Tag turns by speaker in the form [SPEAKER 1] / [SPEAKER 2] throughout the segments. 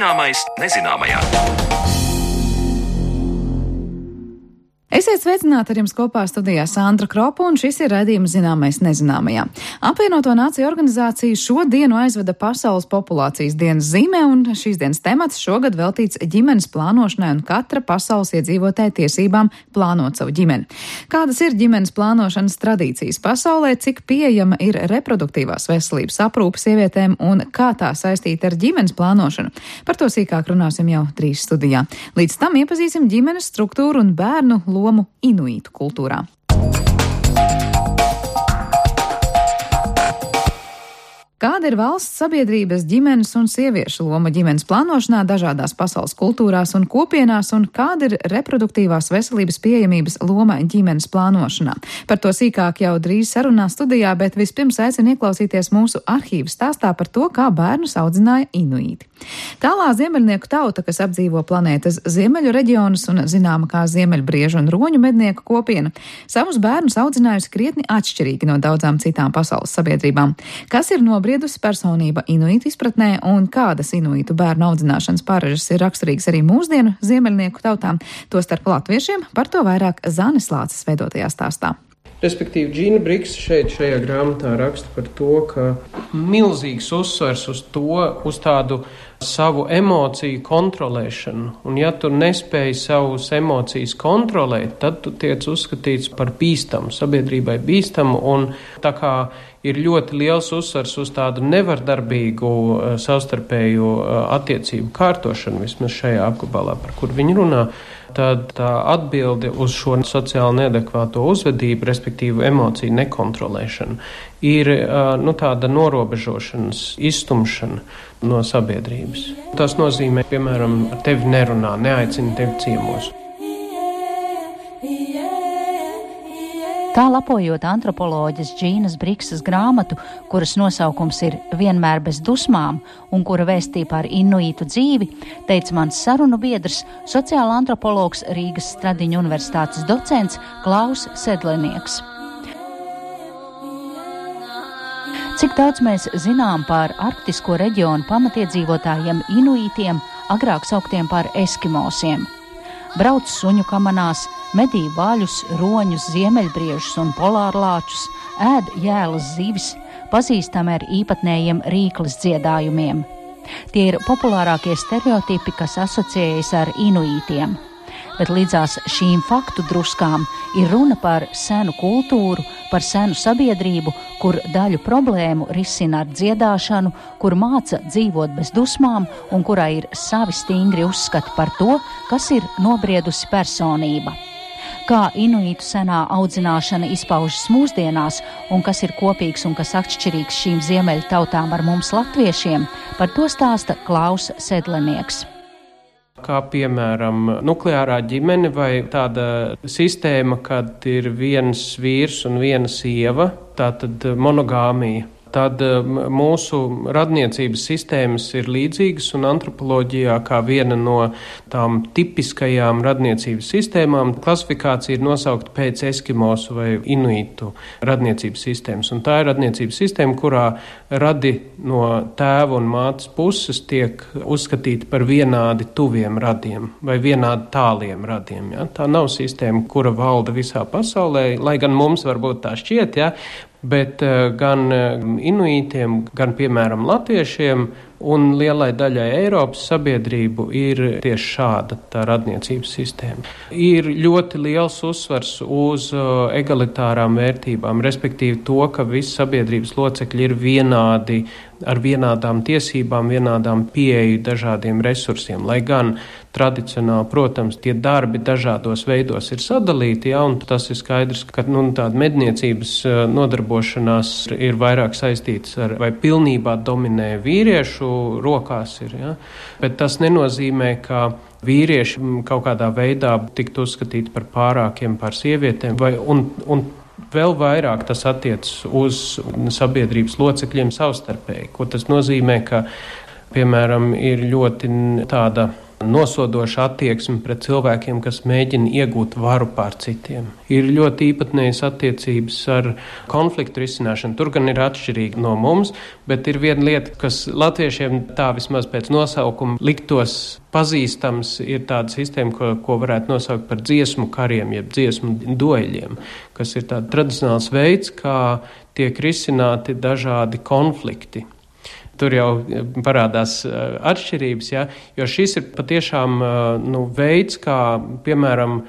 [SPEAKER 1] Zināmais nezināmajā.
[SPEAKER 2] Esiet sveicināti, ar jums kopā studijā Sandra Kropa, un šis ir raidījums Zināmais nezināmajā. Apvienoto Nāciju organizācija šodienu aizveda Pasaules populācijas dienas zīmē, un šīs dienas temats šogad veltīts ģimenes plānošanai un katra pasaules iedzīvotāja tiesībām plānot savu ģimeni. Kādas ir ģimenes plānošanas tradīcijas pasaulē, cik pieejama ir reproduktīvās veselības aprūpe sievietēm un kā tā saistīta ar ģimenes plānošanu? Par to sīkāk runāsim jau drīz studijā. Līdz tam iepazīsim ģimenes struktūru un bērnu lomu inuītu kultūrā. Kāda ir valsts, sabiedrības, ģimenes un sieviešu loma ģimenes plānošanā dažādās pasaules kultūrās un kopienās, un kāda ir reproduktīvās veselības pieejamības loma ģimenes plānošanā? Par to sīkāk jau drīz sarunā studijā, bet vispirms aicinu ieklausīties mūsu arhīvu stāstā par to, kā bērnus audzināja inuīti. Tālā ziemeļnieku tauta, kas apdzīvo planētas ziemeļu reģionus un zināma kā ziemeļbriežu un roņu mednieku kopiena, savus bērnus audzinājusi krietni atšķirīgi no daudzām citām pasaules sabiedrībām. Kas ir nobriedusi personība inuītu izpratnē un kādas inuītu bērnu audzināšanas pārežas ir raksturīgas arī mūsdienu ziemeļnieku tautām, tostarp latviešiem, par to vairāk Zanes Lāces veidotajā stāstā.
[SPEAKER 3] Respektīvi, Džina Briksa šajā grāmatā raksta par to, ka milzīgs uzsvers uz tādu savu emociju kontrolēšanu. Un ja tu nespēji savus emocijas kontrolēt, tad tu tiec uzskatīts par bīstamu, sabiedrībai bīstamu, un tā kā ir ļoti liels uzsvers uz tādu nevardarbīgu savstarpēju attiecību kārtošanu, vismaz šajā apgabalā, par kur viņi runā, tad tā atbilde uz šo sociāli neadekvāto uzvedību, respektīvi emociju nekontrolēšanu, ir tāda norobežošanas izstumšana no sabiedrības. Tas nozīmē, piemēram, ar tevi nerunā, neaicina tevi ciemos.
[SPEAKER 4] Tā lapojot antropoloģes Džīnas Briksas grāmatu, kuras nosaukums ir Vienmēr bez dusmām un kura vēstīja par inuītu dzīvi, teica mans sarunu biedrs, sociāla antropologs Rīgas Stradiņu universitātes docents Klaus Sedlenieks. Cik daudz mēs zinām par arktisko reģionu pamatiedzīvotājiem inuītiem, agrāk sauktiem par eskimosiem? Brauc suņu kamanās, medī vaļus, roņus, ziemeļbriežus un polārlāčus, ēd jēlas zivis, pazīstami ar īpatnējiem rīkles dziedājumiem. Tie ir populārākie stereotipi, kas asociējas ar inuītiem. Bet līdzās šīm faktu druskām ir runa par senu kultūru, par senu sabiedrību, kur daļu problēmu risina ar dziedāšanu, kur māca dzīvot bez dusmām un kurā ir savi stingri uzskati par to, kas ir nobriedusi personība. Kā inuītu senā audzināšana izpaužas mūsdienās un kas ir kopīgs un kas atšķirīgs šīm ziemeļu tautām ar mums latviešiem, par to stāsta Klaus Sedlenieks.
[SPEAKER 3] Kā piemēram nukleārā ģimene vai tāda sistēma, kad ir viens vīrs un viena sieva, tātad monogāmija. Tad mūsu radniecības sistēmas ir līdzīgas un antropoloģijā kā viena no tām tipiskajām radniecības sistēmām klasifikācija ir nosaukta pēc eskimosu vai inuītu radniecības sistēmas. Un tā ir radniecības sistēma, kurā radi no tēva un mātes puses tiek uzskatīti par vienādi tuviem radiem vai vienādi tāliem radiem. Ja? Tā nav sistēma, kura valda visā pasaulē, lai gan mums varbūt tā šķiet, ja? Bet gan inuītiem, gan, piemēram, latviešiem un lielai daļai Eiropas sabiedrību ir tieši šāda tā radniecības sistēma. Ir ļoti liels uzsvars uz egalitārām vērtībām, respektīvi to, ka visi sabiedrības locekļi ir vienādi, ar vienādām tiesībām, vienādām pieeju dažādiem resursiem, lai gan tradicionāli, protams, tie darbi dažādos veidos ir sadalīti, ja, un tas ir skaidrs, ka tāda medniecības nodarbošanās ir vairāk saistīts ar, vai pilnībā dominē vīriešu rokās ir, ja, bet tas nenozīmē, ka vīrieši kaut kādā veidā tiktu uzskatīti par pārākiem pār sievietēm, un vēl vairāk tas attiecas uz sabiedrības locekļiem savstarpēji, ko tas nozīmē, ka, piemēram, ir ļoti tāda nosodoša attieksme pret cilvēkiem, kas mēģina iegūt varu pār citiem. Ir ļoti īpatnējas attiecības ar konfliktu risināšanu. Tur gan ir atšķirīgi no mums, bet ir viena lieta, kas latviešiem tā vismaz pēc nosaukuma liktos pazīstams, ir tāda sistēma, ko varētu nosaukt par dziesmu kariem, jeb dziesmu dueļiem, kas ir tāds tradicionāls veids, kā tiek risināti dažādi konflikti. Tur jau parādās atšķirības, ja? Jo šis ir patiešām veids, kā, piemēram,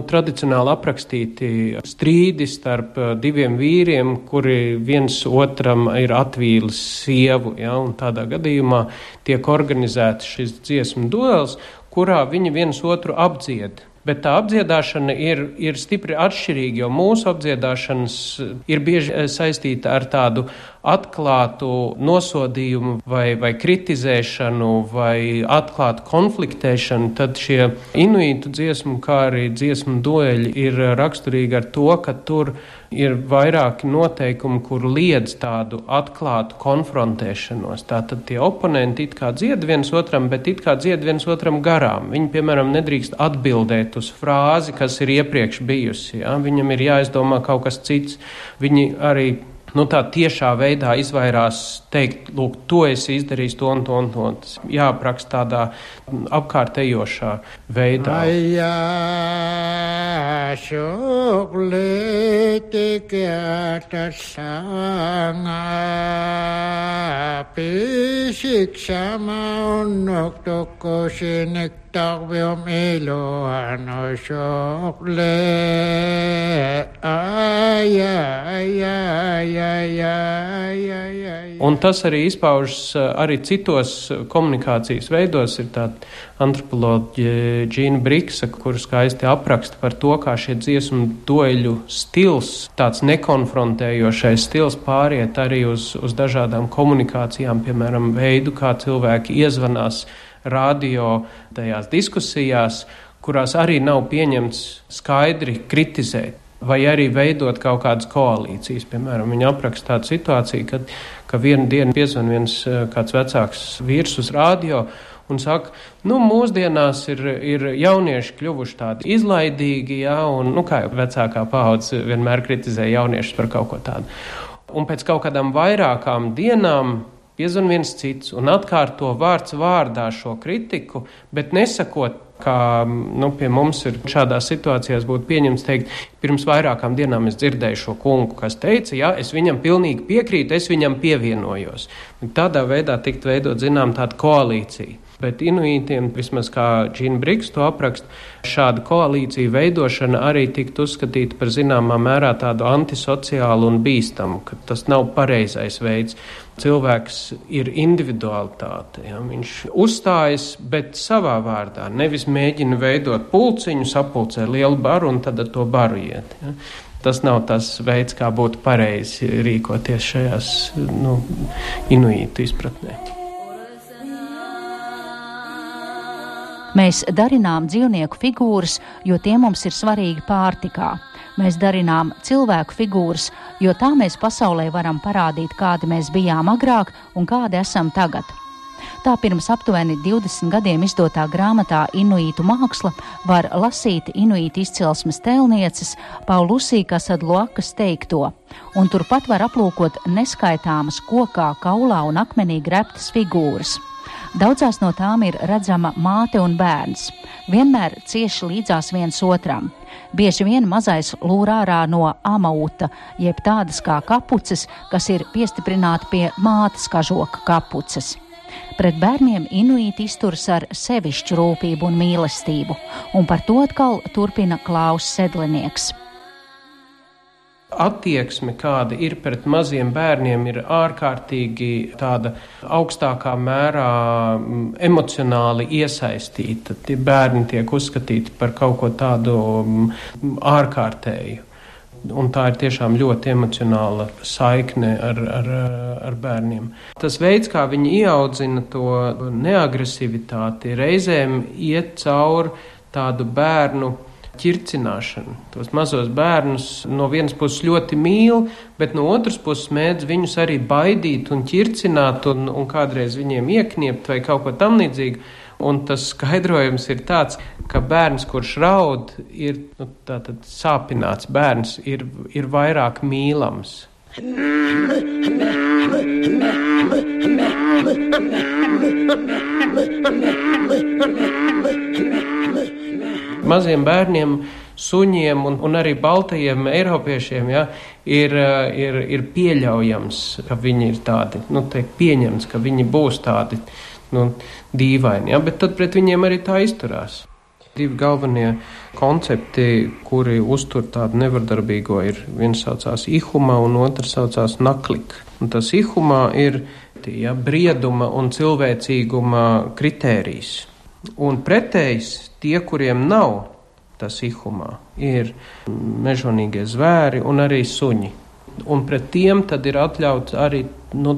[SPEAKER 3] tradicionāli aprakstīti strīdi starp diviem vīriem, kuri viens otram ir atvīlis sievu, ja? Un tādā gadījumā tiek organizēts šis dziesmu duels, kurā viņi viens otru apdzied. Bet tā apdziedāšana ir stipri atšķirīga, jo mūsu apdziedāšanas ir bieži saistīta ar tādu atklātu nosodījumu vai kritizēšanu vai atklātu konfliktēšanu. Tad šie inuītu dziesmu, kā arī dziesmu dueļi ir raksturīgi ar to, ka tur ir vairāki noteikumi, kur liedz tādu atklātu konfrontēšanos. Tātad tie oponenti it kā dzied viens otram, bet it kā dzied viens otram garām. Viņi, piemēram, nedrīkst atbildēt uz frāzi, kas ir iepriekš bijusi. Ja? Viņam ir jāizdomā kaut kas cits. Viņi arī tā tiešā veidā izvairās teikt, lūk, to esi izdarījis to un to un to. Tas jāapraksta tādā apkārtējošā veidā. Un tas arī izpaužas arī citos komunikācijas veidos. Ir tāda antropoloģija Džīna Briksa, kur skaisti apraksta par to, kā šie dziesmu dueļu stils, tāds nekonfrontējošais stils pāriet arī uz dažādām komunikācijām, piemēram, veidu, kā cilvēki iezvanās radio tajās diskusijās, kurās arī nav pieņemts skaidri kritizēt. Vai arī veidot kaut kādas koalīcijas. Piemēram, viņi apraksta tādu situāciju, ka vienu dienu piezvan viens kāds vecāks vīrs uz radio un saka, mūsdienās ir jaunieši kļuvuši tādi izlaidīgi, ja, un, kā jau vecākā paudze vienmēr kritizē jauniešus par kaut ko tādu. Un pēc kaut kādām vairākām dienām piezvan viens cits un atkārto vārds vārdā šo kritiku, bet nesakot, kā pie mums ir šādās situācijās būtu pieņemts teikt, pirms vairākām dienām es dzirdēju šo kungu, kas teica, jā, es viņam pilnīgi piekrītu, es viņam pievienojos. Tādā veidā tikt veidot, tāda koalīcija. Bet inuītiem, vismaz kā Džīna Briks to apraksta, šāda koalīcija veidošana arī tiktu uzskatīta par zināmā mērā tādu antisociālu un bīstamu, ka tas nav pareizais veids. Cilvēks ir individualitāte, ja? Viņš uzstājas, bet savā vārdā, nevis mēģina veidot pulciņu, sapulcē lielu baru un tad ar to baru iet. Ja? Tas nav tas veids, kā būtu pareizi rīkoties šajās inuītu izpratnē.
[SPEAKER 4] Mēs darinām dzīvnieku figūras, jo tie mums ir svarīgi pārtikā. Mēs darinām cilvēku figūras, jo tā mēs pasaulē varam parādīt, kādi mēs bijām agrāk un kādi esam tagad. Tā pirms aptuveni 20 gadiem izdotā grāmatā Inuītu māksla var lasīt inuītu izcelsmes tēlnieces Paulusī Kasadluakas teikto, un turpat var aplūkot neskaitāmas kokā, kaulā un akmenī greptas figūras. Daudzās no tām ir redzama māte un bērns, vienmēr cieši līdzās viens otram. Bieži vien mazais lūr ārā no amauta, jeb tādas kā kapuces, kas ir piestiprināti pie mātes kažoka kapuces. Pret bērniem inuīti izturas ar sevišķu rūpību un mīlestību, un par to atkal turpina Klaus Sedlinieks.
[SPEAKER 3] Attieksme, kāda ir pret maziem bērniem, ir ārkārtīgi tāda augstākā mērā emocionāli iesaistīta. Tie bērni tiek uzskatīti par kaut ko tādu ārkārtēju. Un tā ir tiešām ļoti emocionāla saikne ar bērniem. Tas veids, kā viņi ieaudzina to neagresivitāti, reizēm iet cauri tādu bērnu ķircināšanu. Tos mazos bērnus no vienas puses ļoti mīl, bet no otras puses mēdz viņus arī baidīt un ķircināt un kādreiz viņiem iekniept vai kaut ko tam līdzīgu. Un tas skaidrojums ir tāds, ka bērns, kurš raud, ir tātad sāpināts bērns, ir vairāk mīlams. Maziem bērniem, suņiem un arī baltajiem eiropiešiem ir pieļaujams, ka viņi ir tādi, pieņemts, ka viņi būs tādi dīvaini, bet tad pret viņiem arī tā izturās. Divi galvenie koncepti, kuri uztur tādu nevardarbīgo, ir viens saucās ihuma un otrs saucās naklik. Un tas ihuma ir brieduma un cilvēcīguma kritērijs. Un pretējs tie, kuriem nav tas ihumā, ir mežonīgie zvēri un arī suņi. Un pret tiem tad ir atļauts arī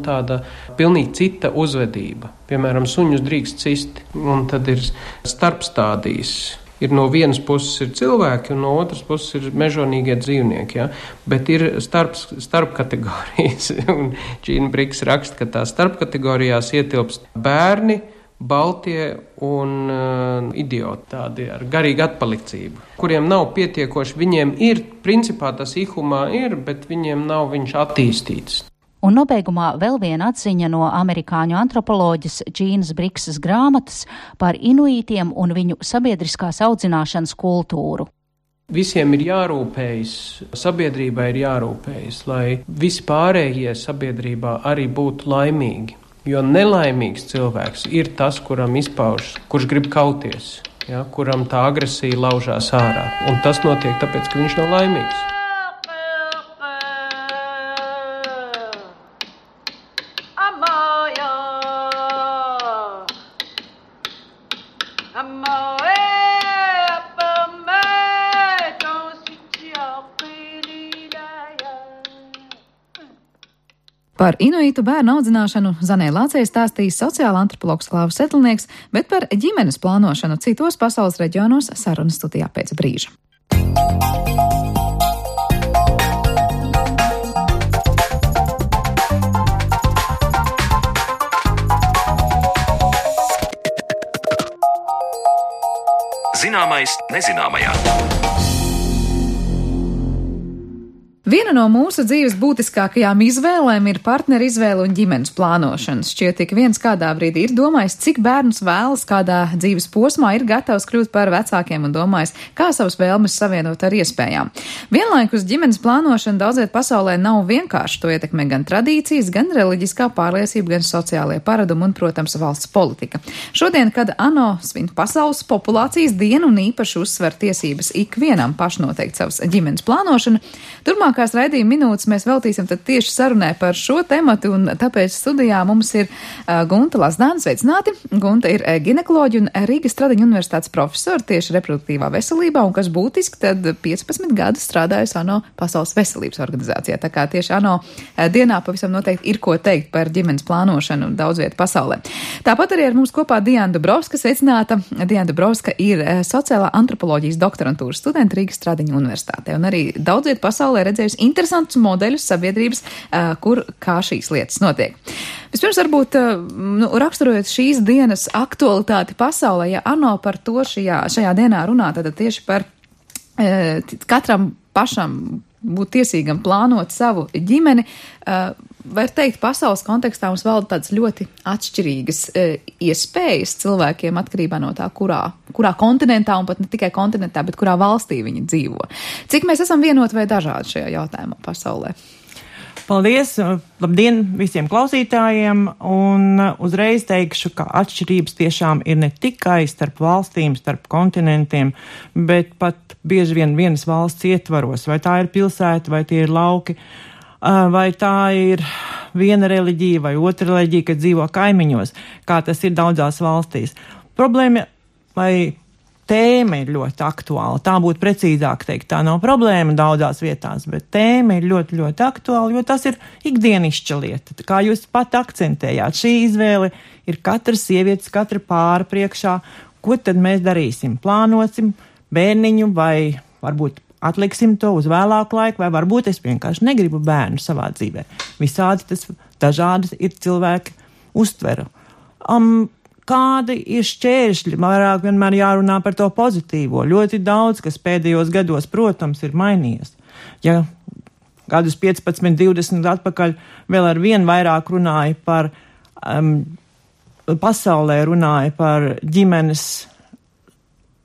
[SPEAKER 3] tāda pilnīgi cita uzvedība. Piemēram, suņus drīkst cist, un tad ir starpstādījis. Ir no vienas puses ir cilvēki, un no otras puses ir mežonīgie dzīvnieki, ja? Bet ir starpkategorijas. Un Džīna Briks raksta, ka tā starpkategorijās ietilpst bērni, baltie un idioti, tādi ar garīgu atpalicību, kuriem nav pietiekoši, viņiem ir, principā tas ihumā ir, bet viņiem nav viņš attīstīts.
[SPEAKER 4] Un nobeigumā vēl viena atziņa no amerikāņu antropoloģes Džīnas Briksas grāmatas par inuītiem un viņu sabiedriskās audzināšanas kultūru.
[SPEAKER 3] Visiem ir jārūpējas, sabiedrībai ir jārūpējas, lai visi pārējie sabiedrībā arī būtu laimīgi. Jo nelaimīgs cilvēks ir tas, kuram izpaužas, kurš grib kauties, ja, kuram tā agresija laužās ārā. Un tas notiek tāpēc, ka viņš nav laimīgs.
[SPEAKER 2] Par inuitu bērnu audzināšanu Zanē Lācei stāstīs sociāla antropologs Klāvs Setlnieks, bet par ģimenes plānošanu citos pasaules reģionos sarunas studijā pēc brīža.
[SPEAKER 1] Zināmais nezināmajā.
[SPEAKER 2] Viena no mūsu dzīves būtiskākajām izvēlēm ir partneru izvēle un ģimenes plānošana. Šķiet, ik viens kādā brīdī ir domājis, cik bērnus vēlas, kādā dzīves posmā ir gatavs kļūt par vecākiem un domājis, kā savas vēlmes savienot ar iespējām. Vienlaikus ģimenes plānošana daudzviet pasaulē nav vienkārši. To ietekmē gan tradīcijas, gan reliģiskā pārliecība, gan sociālie paradumi un, protams, valsts politika. Šodien, kad ANO svin pasaules populācijas dienu un īpaši uzsver tiesības ikvienam pašnoteikt savas ģimenes plānošanu, turpmākās raidījuma minūtes mēs veltīsim tad tieši sarunai par šo tematu, un tāpēc studijā mums ir Gunta Lazdāne. Sveicināti! Gunta ir ginekoloģi un Rīgas Stradiņu universitātes profesori tieši reproduktīvā veselībā, un kas būtiski, tad 15 gadus strādājusi ANO Pasaules veselības organizācijā. Tā kā tieši ANO dienā pavisam noteikti ir ko teikt par ģimenes plānošanu daudz vietu pasaulē. Tāpat arī ar mums kopā Diana Dubrovska. Sveicināta! Diana Dubrovska ir sociālā antropoloģijas doktorantūras studenta Rīgas Stradiņu universitātē, un arī daudz vietu pasaulē redzējusi interesantus modeļus sabiedrības, kur kā šīs lietas notiek. Vispirms varbūt raksturojot šīs dienas aktualitāti pasaulē, ja ANO par to šajā dienā runā, tad tieši par katram pašam būt tiesīgam plānot savu ģimeni, var teikt, pasaules kontekstā mums valda tādas ļoti atšķirīgas iespējas cilvēkiem atkarībā no tā, kurā kontinentā, un pat ne tikai kontinentā, bet kurā valstī viņi dzīvo. Cik mēs esam vienoti vai dažādi šajā jautājumā pasaulē?
[SPEAKER 5] Paldies! Labdien visiem klausītājiem! Un uzreiz teikšu, ka atšķirības tiešām ir ne tikai starp valstīm, starp kontinentiem, bet pat bieži vien vienas valsts ietvaros. Vai tā ir pilsēta, vai tie ir lauki, vai tā ir viena reliģija vai otra reliģija, kad dzīvo kaimiņos, kā tas ir daudzās valstīs. Problēma vai tēma ir ļoti aktuāla. Tā būtu precīzāk teikt. Tā nav problēma daudzās vietās, bet tēma ir ļoti, ļoti aktuāla, jo tas ir ikdienišķa lieta. Kā jūs pat akcentējāt, šī izvēle ir katras sievietes, katra pāra priekšā. Ko tad mēs darīsim? Plānosim bērniņu vai varbūt atliksim to uz vēlāku laiku, vai varbūt es vienkārši negribu bērnu savā dzīvē. Visādi tas dažādi ir cilvēki uztveru. kādi ir šķēršļi, vairāk vienmēr jārunā par to pozitīvo. Ļoti daudz, kas pēdējos gados, protams, ir mainījies. Ja gadus 15, 20 atpakaļ vēl ar vien vairāk runāja par, pasaulē runāja par ģimenes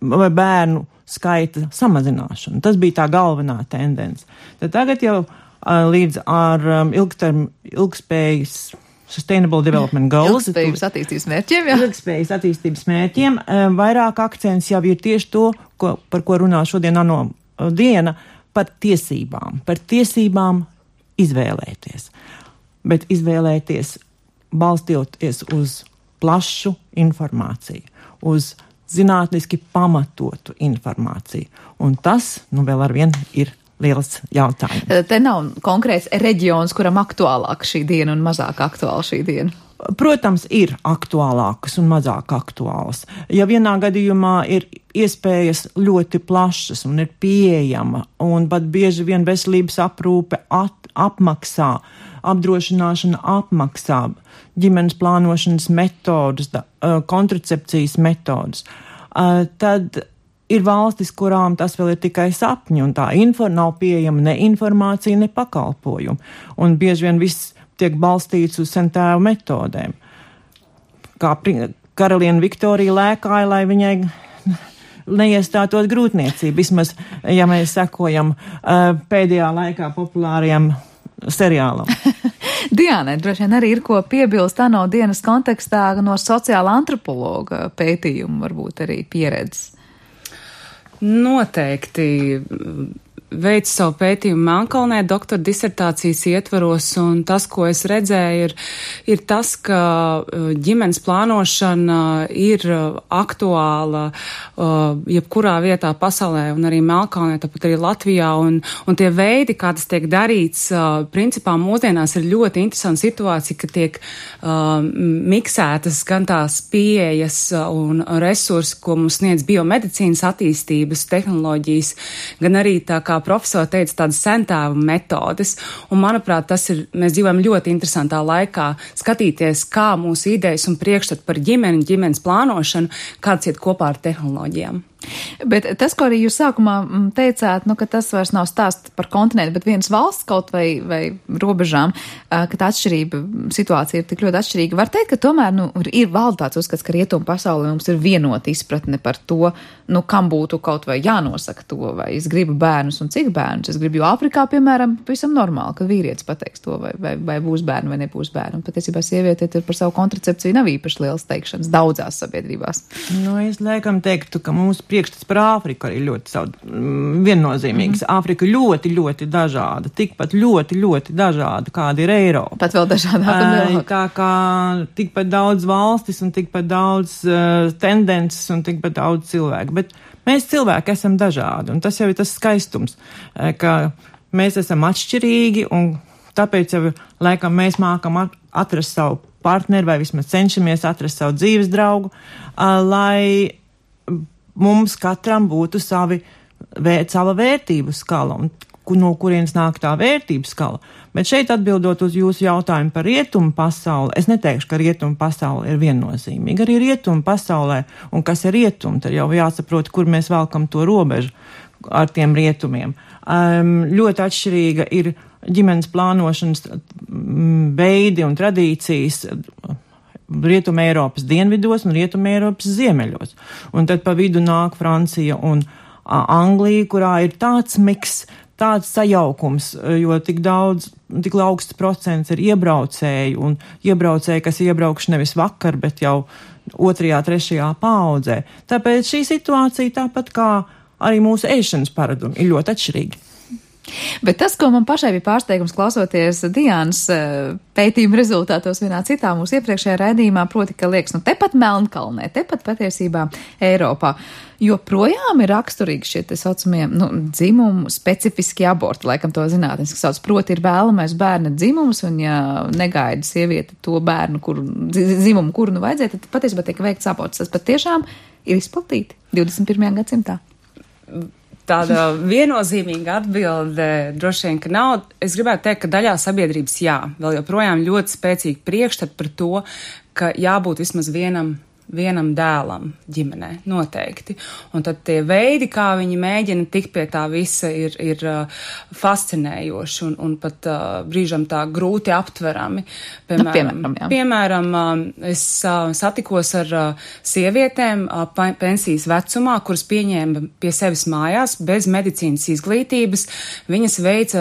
[SPEAKER 5] vai bērnu skaita samazināšanu. Tas bija tā galvenā tendence. Tad tagad jau līdz ar ilgspējas Sustainable Development Goals.
[SPEAKER 2] Ilgspējības attīstības mērķiem, jā.
[SPEAKER 5] Ilgspējas attīstības mērķiem. Vairāk akcents jau ir tieši to, par ko runā šodien ANO diena, par tiesībām. Par tiesībām izvēlēties. Bet izvēlēties balstoties uz plašu informāciju, uz zinātniski pamatotu informāciju. Un tas, vēl arvien ir liels jautājums.
[SPEAKER 2] Te nav konkrēts reģions, kuram aktuālāk šī diena un mazāk aktuāla šī diena.
[SPEAKER 5] Protams, ir aktuālākas un mazāk aktuālas. Ja vienā gadījumā ir iespējas ļoti plašas un ir pieejama, un pat bieži vien veselības aprūpe apmaksā, apdrošināšana apmaksā, ģimenes plānošanas metodas, kontracepcijas metodas, tad ir valstis, kurām tas vēl ir tikai sapņi, un tā nav pieejama ne informācija, ne pakalpojumi. Un bieži vien viss tiek balstīts uz sentēvu metodēm. Kā karaliene Viktorija lēkāja, lai viņai neiestātos grūtniecība. Vismaz, ja mēs sekojam pēdējā laikā populārajam seriālam.
[SPEAKER 2] Diānai droši vien arī ir ko piebilst ANO dienas kontekstā no sociāla antropologa pētījumu, varbūt arī pieredzes.
[SPEAKER 6] Noteikti veicu savu pētījumu Melnkalnē doktora disertācijas ietvaros, un tas, ko es redzēju, ir tas, ka ģimenes plānošana ir aktuāla jebkurā vietā pasaulē, un arī Melnkalnē, tāpat arī Latvijā, un tie veidi, kā tas tiek darīts, principā mūsdienās ir ļoti interesanta situācija, ka tiek miksētas gan tās pieejas un resursi, ko mums sniedz biomedicīnas attīstības tehnoloģijas, gan arī tā kā profesori teica, tādas sentēvu metodes, un manuprāt, mēs dzīvojam ļoti interesantā laikā skatīties, kā mūsu idejas un priekšstat par ģimenes plānošanu, kāds iet kopā ar tehnoloģijām.
[SPEAKER 2] Bet tas, ko arī jūs sākumā teicāt, ka tas vairs nav stāsts par kontinentu, bet vienas valsts kaut vai robežām, ka tā situācija ir tik ļoti atšķirīga. Var teikt, ka tomēr ir valda tāds uzskats, ka rietumu pasaulē mums ir vienota izpratne par to, kam būtu kaut vai jānosaka to, vai es gribu bērnus un cik bērnus. Es gribu, jo Āfrikā, piemēram, pavisam normāli, ka vīrietis pateiks to, vai būs bērni vai nebūs bērni. Un patiesībā sieviete tur par savu kontracepciju nav īpaši liels teikšanas daudzās sabiedrībās.
[SPEAKER 5] Es laikam teiktu, ka mūsu priekšstats par Āfriku arī ļoti viennozīmīgs. Āfrika ļoti, ļoti dažāda, tikpat ļoti, ļoti dažāda, kāda ir Eiropa.
[SPEAKER 2] Pat vēl dažādāk.
[SPEAKER 5] Tā kā tikpat daudz valstis un tikpat daudz tendences un tikpat daudz cilvēku. Bet mēs cilvēki esam dažādi, un tas jau ir tas skaistums, ka mēs esam atšķirīgi, un tāpēc jau laikam mēs mākam atrast savu partneri, vai vismaz cenšamies atrast savu dzīves draugu, lai mums katram būtu sava vērtību skala, un no kurienes nāk tā vērtību skala. Bet šeit atbildot uz jūsu jautājumu par rietumu pasauli, es neteikšu, ka rietumu pasauli ir viennozīmīga. Arī rietumu pasaulē, un kas ir rietumi, tad jau jāsaprot, kur mēs velkam to robežu ar tiem rietumiem. Ļoti atšķirīga ir ģimenes plānošanas veidi un tradīcijas Rietuma Eiropas dienvidos un Rietuma Eiropas ziemeļos. Un tad pa vidu nāk Francija un Anglija, kurā ir tāds miks, tāds sajaukums, jo tik augsts procents ir iebraucēji, un iebraucēji, kas iebraukši nevis vakar, bet jau 2., 3. paaudzē. Tāpēc šī situācija, tāpat kā arī mūsu ēšanas paradumi, ir ļoti atšķirīgi.
[SPEAKER 2] Bet tas, ko man pašai bija pārsteigums klausoties Diānas pētījuma rezultātos vienā citā mūsu iepriekšējā raidījumā, proti, ka liekas, tepat Melnkalnē, tepat patiesībā Eiropā, joprojām ir raksturīgi šie te saucamie, dzimumu specifiski aborti, laikam to zinātniski sauc, proti ir vēlamais bērna dzimums, un ja negaida sieviete to bērnu, dzimumu, kuru vajadzēja, tad patiesībā tiek veikts aborts. Tas patiešām ir izplatīti 21. gadsimtā.
[SPEAKER 6] Tāda viennozīmīga atbilde droši vien, ka nav. Es gribētu teikt, ka daļā sabiedrības vēl joprojām ļoti spēcīgi priekšstat par to, ka jābūt vismaz vienam vienam dēlam ģimenē, noteikti. Un tad tie veidi, kā viņi mēģina tikt pie tā visa, ir fascinējoši un pat brīžam tā grūti aptverami. Piemēram, es satikos ar sievietēm pensijas vecumā, kuras pieņēma pie sevis mājās bez medicīnas izglītības. Viņas veica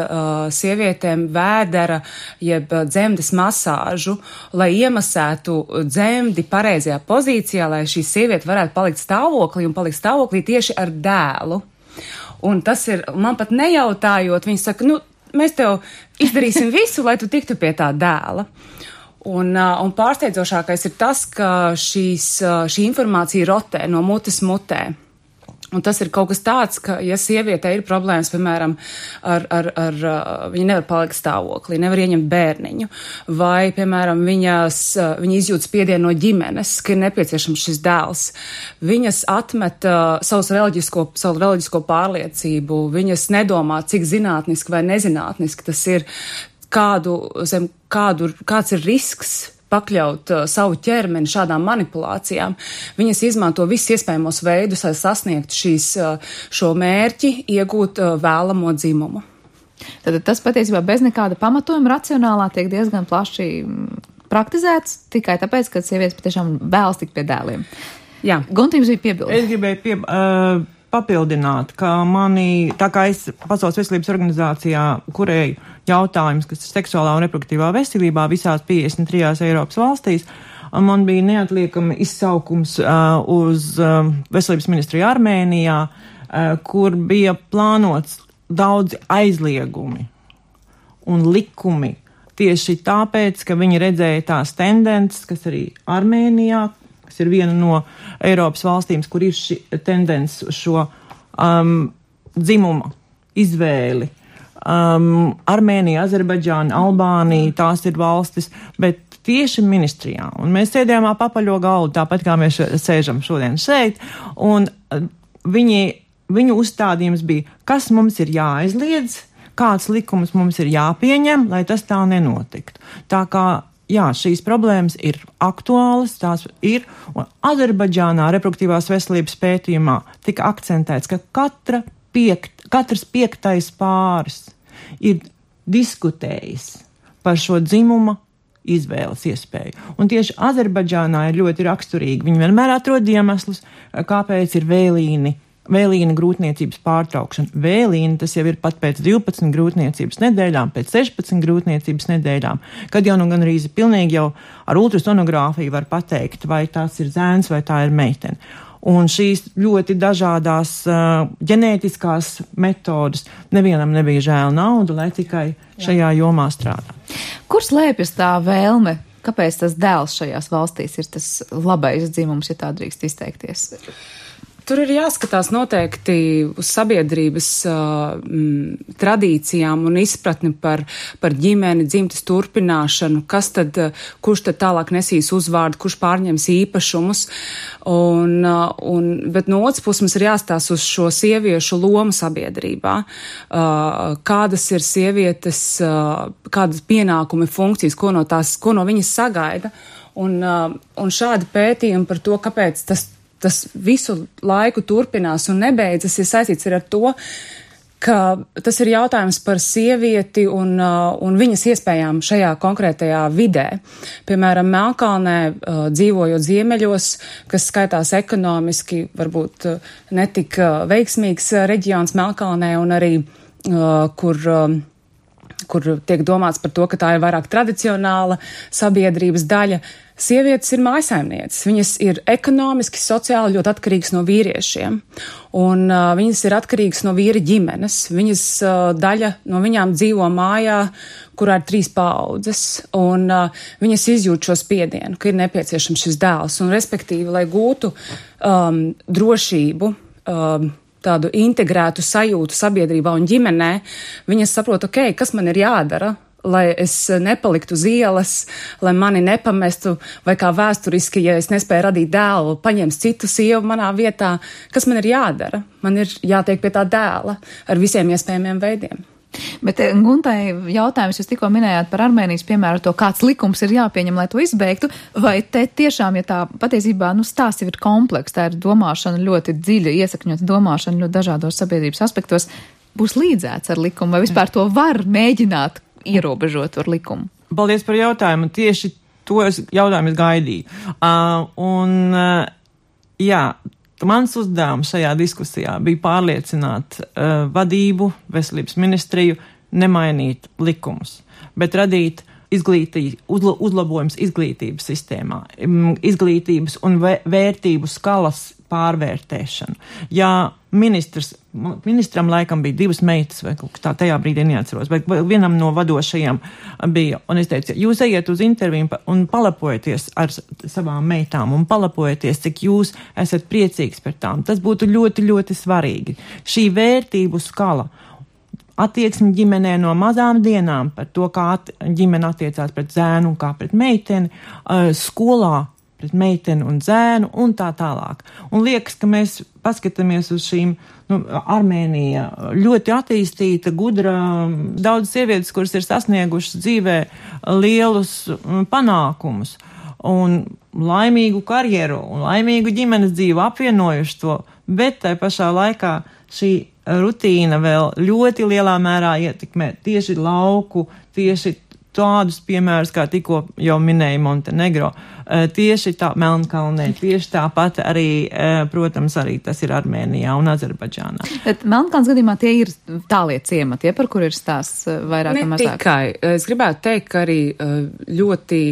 [SPEAKER 6] sievietēm vēdera jeb dzemdes masāžu, lai iemasētu dzemdi pareizajā pozīcijā, lai šī sieviete varētu palikt stāvoklī un palikt stāvoklī tieši ar dēlu. Un tas ir, man pat nejautājot, viņi saka, mēs tev izdarīsim visu, lai tu tiktu pie tā dēla. Un pārsteidzošākais ir tas, ka šī informācija rotē no mutes mutē. Un tas ir kaut kas tāds, ka, ja sieviete ir problēmas, piemēram, viņa nevar palikt stāvoklī, nevar ieņemt bērniņu, vai, piemēram, viņa izjūt spiedienu no ģimenes, ka ir nepieciešams šis dēls. Viņas atmet savu reliģisko pārliecību, viņas nedomā, cik zinātniski vai nezinātniski tas ir, kāds ir risks pakļaut savu ķermeni šādām manipulācijām. Viņas izmanto visus iespējamos veidus, lai sasniegtu šo mērķi, iegūt vēlamo dzimumu.
[SPEAKER 2] Tad tas patiesībā bez nekāda pamatojuma racionālā tiek diezgan plaši praktizēts, tikai tāpēc, ka sievietes patiešām vēlas tikt pie dēliem.
[SPEAKER 6] Jā.
[SPEAKER 2] Gunti, jums bija piebildi.
[SPEAKER 5] Es gribēju papildināt, ka tā kā es Pasaules veselības organizācijā kurēju jautājums, kas ir seksuālā un reproduktīvā veselībā visās 53 Eiropas valstīs, man bija neatliekami izsaukums uz veselības ministriju Armēnijā, kur bija plānots daudzi aizliegumi un likumi tieši tāpēc, ka viņi redzēja tās tendences, kas arī Armēnijā, kas ir viena no Eiropas valstīm, kur ir šī tendence uz šo dzimuma izvēli. Armēnija, Azerbaidžāna, Albānija, tās ir valstis, bet tieši ministrijā. Un mēs sēdējām papaļo galdu, tāpat kā mēs sēžam šodien šeit, un viņu uzstādījums bija, kas mums ir jāaizliedz, kāds likums mums ir jāpieņem, lai tas tā nenotiktu. Tā kā jā, šīs problēmas ir aktuālas, tās ir, un Azerbaidžānā reproduktīvās veselības pētījumā tika akcentēts, ka katrs 5. pāris ir diskutējis par šo dzimuma izvēles iespēju. Un tieši Azerbaidžānā ir ļoti raksturīgi. Viņi vienmēr atrod iemeslus, kāpēc ir vēlīna grūtniecības pārtraukšana. Vēlīna tas jau ir pat pēc 12 grūtniecības nedēļām, pēc 16 grūtniecības nedēļām, kad jau gan arī pilnīgi jau ar ultrasonogrāfiju var pateikt, vai tās ir zēns vai tā ir meitene. Un šīs ļoti dažādās ģenētiskās metodas nevienam nebija žēl naudu, lai tikai šajā jomā strādā.
[SPEAKER 2] Kur slēpjas tā vēlme? Kāpēc tas dēls šajās valstīs ir tas labais dzimums, ja tā drīkst izteikties?
[SPEAKER 6] Tur ir jāskatās noteikti uz sabiedrības tradīcijām un izpratni par ģimeni, dzimtes turpināšanu, kurš tad tālāk nesīs uzvārdu, kurš pārņems īpašumus. Bet no otras puses mums ir jāstās uz šo sieviešu lomu sabiedrībā, kādas ir sievietes, kādas pienākumi, funkcijas, ko no viņas sagaida. Un šādi pētījumi par to, kāpēc tas visu laiku turpinās un nebeidzas, ir saistīts ar to, ka tas ir jautājums par sievieti un viņas iespējām šajā konkrētajā vidē. Piemēram, Melnkalnē, dzīvojot ziemeļos, kas skaitās ekonomiski, varbūt netik veiksmīgs reģions Melnkalnē un arī, kur tiek domāts par to, ka tā ir vairāk tradicionāla sabiedrības daļa. Sievietes ir mājsaimnieces, viņas ir ekonomiski, sociāli ļoti atkarīgas no vīriešiem, un viņas ir atkarīgas no vīra ģimenes. Daļa no viņām dzīvo mājā, kurā ir 3 paaudzes, un viņas izjūt šo spiedienu, ka ir nepieciešams šis dēls, un respektīvi, lai gūtu drošību, tādu integrētu sajūtu sabiedrībā un ģimenē, viņas saprot, kas man ir jādara, lai es nepaliktu uz ielas, lai mani nepamestu, vai kā vēsturiski, ja es nespēju radīt dēlu, paņems citu sievu manā vietā, kas man ir jādara? Man ir jātiek pie tā dēla ar visiem iespējamiem veidiem.
[SPEAKER 2] Bet, Guntai, jautājums, jūs tikko minējāt par Armēnijas piemēru, to kāds likums ir jāpieņem, lai to izbeigtu, vai te tiešām, ja tā patiesībā, stāsts ir kompleks, tā ir domāšana ļoti dziļa, iesakņota domāšana ļoti dažādos sabiedrības aspektos, būs līdzēts ar likumu, vai vispār to var mēģināt ierobežot ar likumu?
[SPEAKER 5] Paldies par jautājumu. Tieši to jautājumu es gaidīju. Jā, mans uzdevums šajā diskusijā bija pārliecināt vadību, veselības ministriju, nemainīt likumus, bet radīt uzlabojums izglītības sistēmā, izglītības un vērtību skalas pārvērtēšanu. Ja ministram laikam bija 2 meitas, vai kaut kā tā, tajā brīdī neatceros, bet vienam no vadošajiem bija, un es teicu, jūs ejiet uz interviju un palapojieties ar savām meitām, un palapojieties, cik jūs esat priecīgs par tām. Tas būtu ļoti, ļoti svarīgi. Šī vērtību skala, attieksmi ģimenē no mazām dienām par to, kā ģimene attiecās pret zēnu un kā pret meiteni, skolā pret meiteni un zēnu un tā tālāk. Un liekas, ka mēs paskatāmies uz šīm, Armēnija ļoti attīstīta, gudra, daudz sievietes, kuras ir sasniegušas dzīvē lielus panākumus un laimīgu karjeru un laimīgu ģimenes dzīvi apvienojuši to, bet tai pašā laikā šī rutīna vēl ļoti lielā mērā ietekmē tieši lauku, tieši tādus piemērus, kā tikko jau minēja Montenegro, tieši tā Melnkalnē, tieši tāpat arī, protams, arī tas ir Armēnijā un Azerbaidžānā.
[SPEAKER 2] Bet Melnkalnes gadījumā tie ir tālie ciemati, par kur ir stāsts vairāk vai mazāk?
[SPEAKER 6] Ne tikai. Es gribētu teikt, ka arī ļoti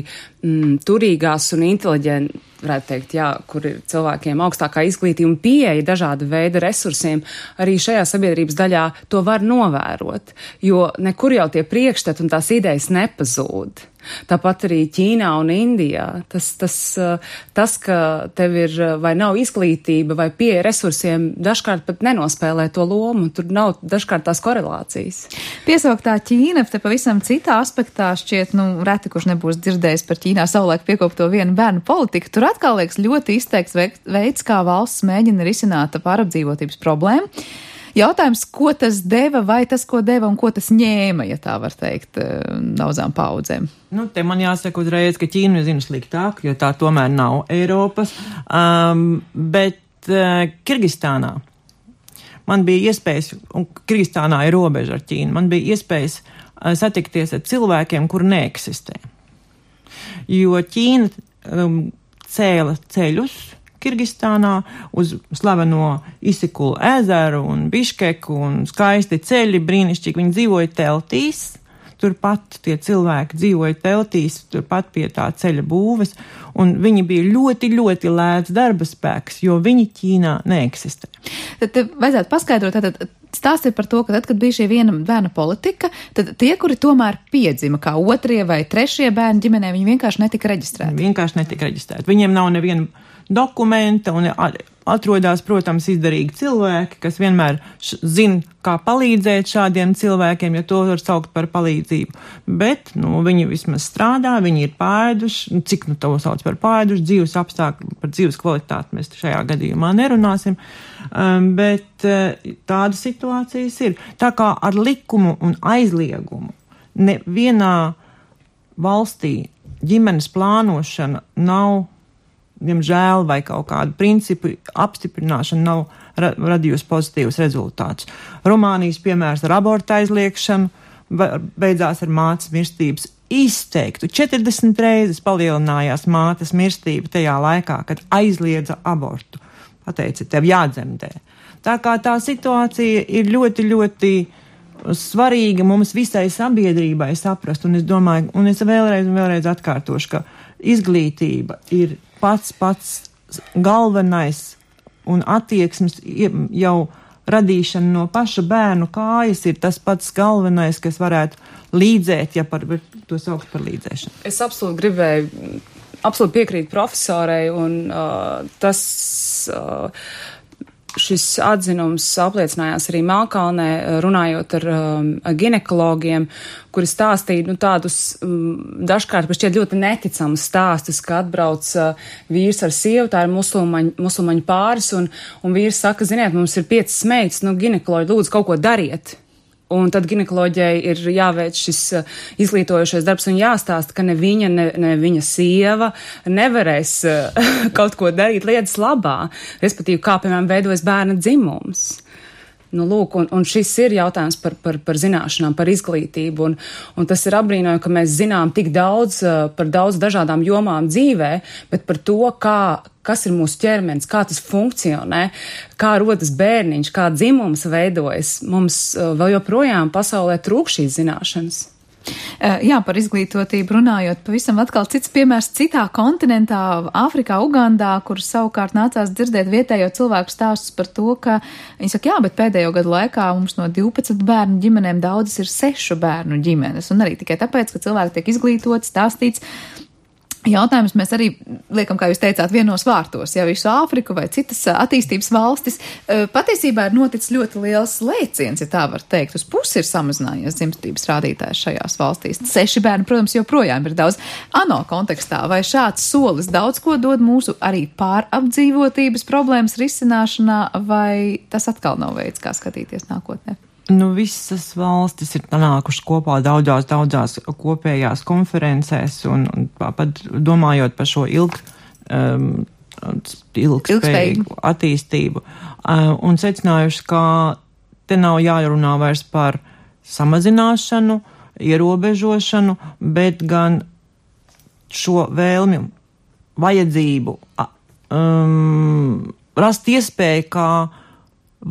[SPEAKER 6] turīgās un inteliģenti, varētu teikt, jā, kur ir cilvēkiem augstākā izglītība un pieeja dažāda veida resursiem, arī šajā sabiedrības daļā to var novērot, jo nekur jau tie priekšstati un tās idejas nepazūd. Tāpat arī Ķīnā un Indijā. Tas, ka tev ir vai nav izglītība vai pieeja resursiem, dažkārt pat nenospēlē to lomu. Tur nav dažkārt tās korelācijas.
[SPEAKER 2] Piesauktā Ķīna, te pavisam citā aspektā šķiet, reti, kurš nebūs dzirdējis par Ķīnā savulaik piekopto vienu bērnu politiku. Tur atkal liekas ļoti izteikts veids, kā valsts mēģina risināt pārapdzīvotības problēmu. Jautājums, ko tas deva, vai tas, ko deva un ko tas ņēma, ja tā var teikt, daudzām paudzēm?
[SPEAKER 5] Te man jāsaka uzreiz, ka Ķīnu zinu sliktāk, jo tā tomēr nav Eiropas, bet Kirgistānā man bija iespējas, un Kirgistānā ir robeža ar Ķīnu, man bija iespējas satikties ar cilvēkiem, kur neeksistē. Jo Ķīna cēla ceļus Kirgistānā uz slaveno Isikulu ezeru un Biškeku un skaisti ceļi, brīnišķīgi. Viņi dzīvoja teltīs, turpat tie cilvēki dzīvoja teltīs, turpat pie tā ceļa būves, un viņi bija ļoti, ļoti lēts darba spēks, jo viņi Ķīnā neeksistē.
[SPEAKER 2] Tad vajadzētu paskaidrot, tad stāsts ir par to, ka tad, kad bija šī viena bērna politika, tad tie, kuri tomēr piedzima kā 2. vai 3. bērni ģimenē, viņi vienkārši netika reģistrēti. Viņiem nav neviena dokumenta un atrodas, protams, izdarīgi cilvēki, kas vienmēr zina, kā palīdzēt šādiem cilvēkiem, ja to var saukt par palīdzību. Bet, viņi vismaz strādā, viņi ir pāēduši, cik to sauc par pāēduši, dzīves apstākļi, par dzīves kvalitāti mēs šajā gadījumā nerunāsim, bet tāda situācijas ir. Tā kā ar likumu un aizliegumu nevienā valstī ģimenes plānošana nav, diemžēl, vai kaut kādu principu apstiprināšana nav radījusi pozitīvus rezultātus. Rumānijas piemērs ar abortu aizliekšanu beidzās ar mātes mirstības izteiktu. 40 reizes palielinājās mātes mirstība tajā laikā, kad aizliedza abortu. Pateica, tev jādzemdē. Tā kā tā situācija ir ļoti, ļoti svarīga mums visai sabiedrībai saprast, un es domāju, un es vēlreiz atkārtošu, ka izglītība ir pats galvenais un attieksmes jau radīšana no paša bērnu kājas ir tas pats galvenais, kas varētu līdzēt, ja par to saukt par līdzēšanu.
[SPEAKER 6] Es absolūti piekrītu profesorei, un šis atzinums apliecinājās arī Melnkalnē, runājot ar ginekologiem, kuri stāstīja tādus dažkārt šķiet ļoti neticamus stāstus, ka atbrauc vīrs ar sievu, tā ir musulmaņu pāris, un vīrs saka, ziniet, mums ir 5 meitas, ginekoloģi, lūdzu, kaut ko dariet. Un tad ginekoloģijai ir jāveic šis izglītojošais darbs un jāstāsta, ka ne viņa, ne viņa sieva nevarēs kaut ko darīt lietas labā, respektīvi, kā, piemēram, veidojas bērna dzimums. Nu, lūk, un šis ir jautājums par zināšanām, par izglītību, un tas ir apbrīnojami, ka mēs zinām tik daudz par daudz dažādām jomām dzīvē, bet par to, kas ir mūsu ķermenis, kā tas funkcionē, kā rodas bērniņš, kā dzimums veidojas, mums vēl joprojām pasaulē trūk šīs zināšanas.
[SPEAKER 2] Jā, par izglītotību runājot, pavisam atkal cits piemērs citā kontinentā, Āfrikā, Ugandā, kur savukārt nācās dzirdēt vietējo cilvēku stāstus par to, ka viņi saka, jā, bet pēdējo gadu laikā mums no 12 bērnu ģimenēm daudzas ir 6 bērnu ģimenes, un arī tikai tāpēc, ka cilvēki tiek izglītoti, stāstīts. Jautājums mēs arī liekam, kā jūs teicāt, vienos vārtos, ja visu Āfriku vai citas attīstības valstis. Patiesībā ir noticis ļoti liels lēciens, ja tā var teikt. Uz pusi ir samazinājies dzimstības rādītājs šajās valstīs. 6 bērni, protams, joprojām ir daudz. ANO kontekstā vai šāds solis daudz ko dod mūsu arī pārapdzīvotības problēmas risināšanā, vai tas atkal nav veids, kā skatīties nākotnē?
[SPEAKER 5] Nu, visas valstis ir nākušas kopā daudzās kopējās konferencēs un pat domājot par šo ilgspējīgu attīstību un secinājuši, ka te nav jārunā vairs par samazināšanu, ierobežošanu, bet gan šo vēlmi, vajadzību rast iespēju, kā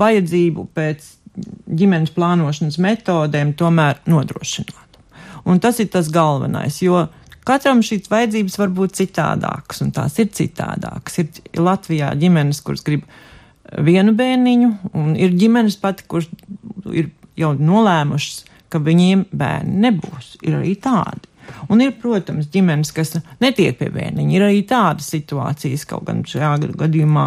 [SPEAKER 5] vajadzību pēc ģimenes plānošanas metodēm tomēr nodrošināt. Un tas ir tas galvenais, jo katram šīs vajadzības var būt citādākas, un tās ir citādākas. Ir Latvijā ģimenes, kuras grib vienu bērniņu, un ir ģimenes pati, kuras ir jau nolēmušas, ka viņiem bērni nebūs. Ir arī tādi. Un ir, protams, ģimenes, kas netiek pie bērniņa. Ir arī tādas situācijas, kaut gan šajā gadījumā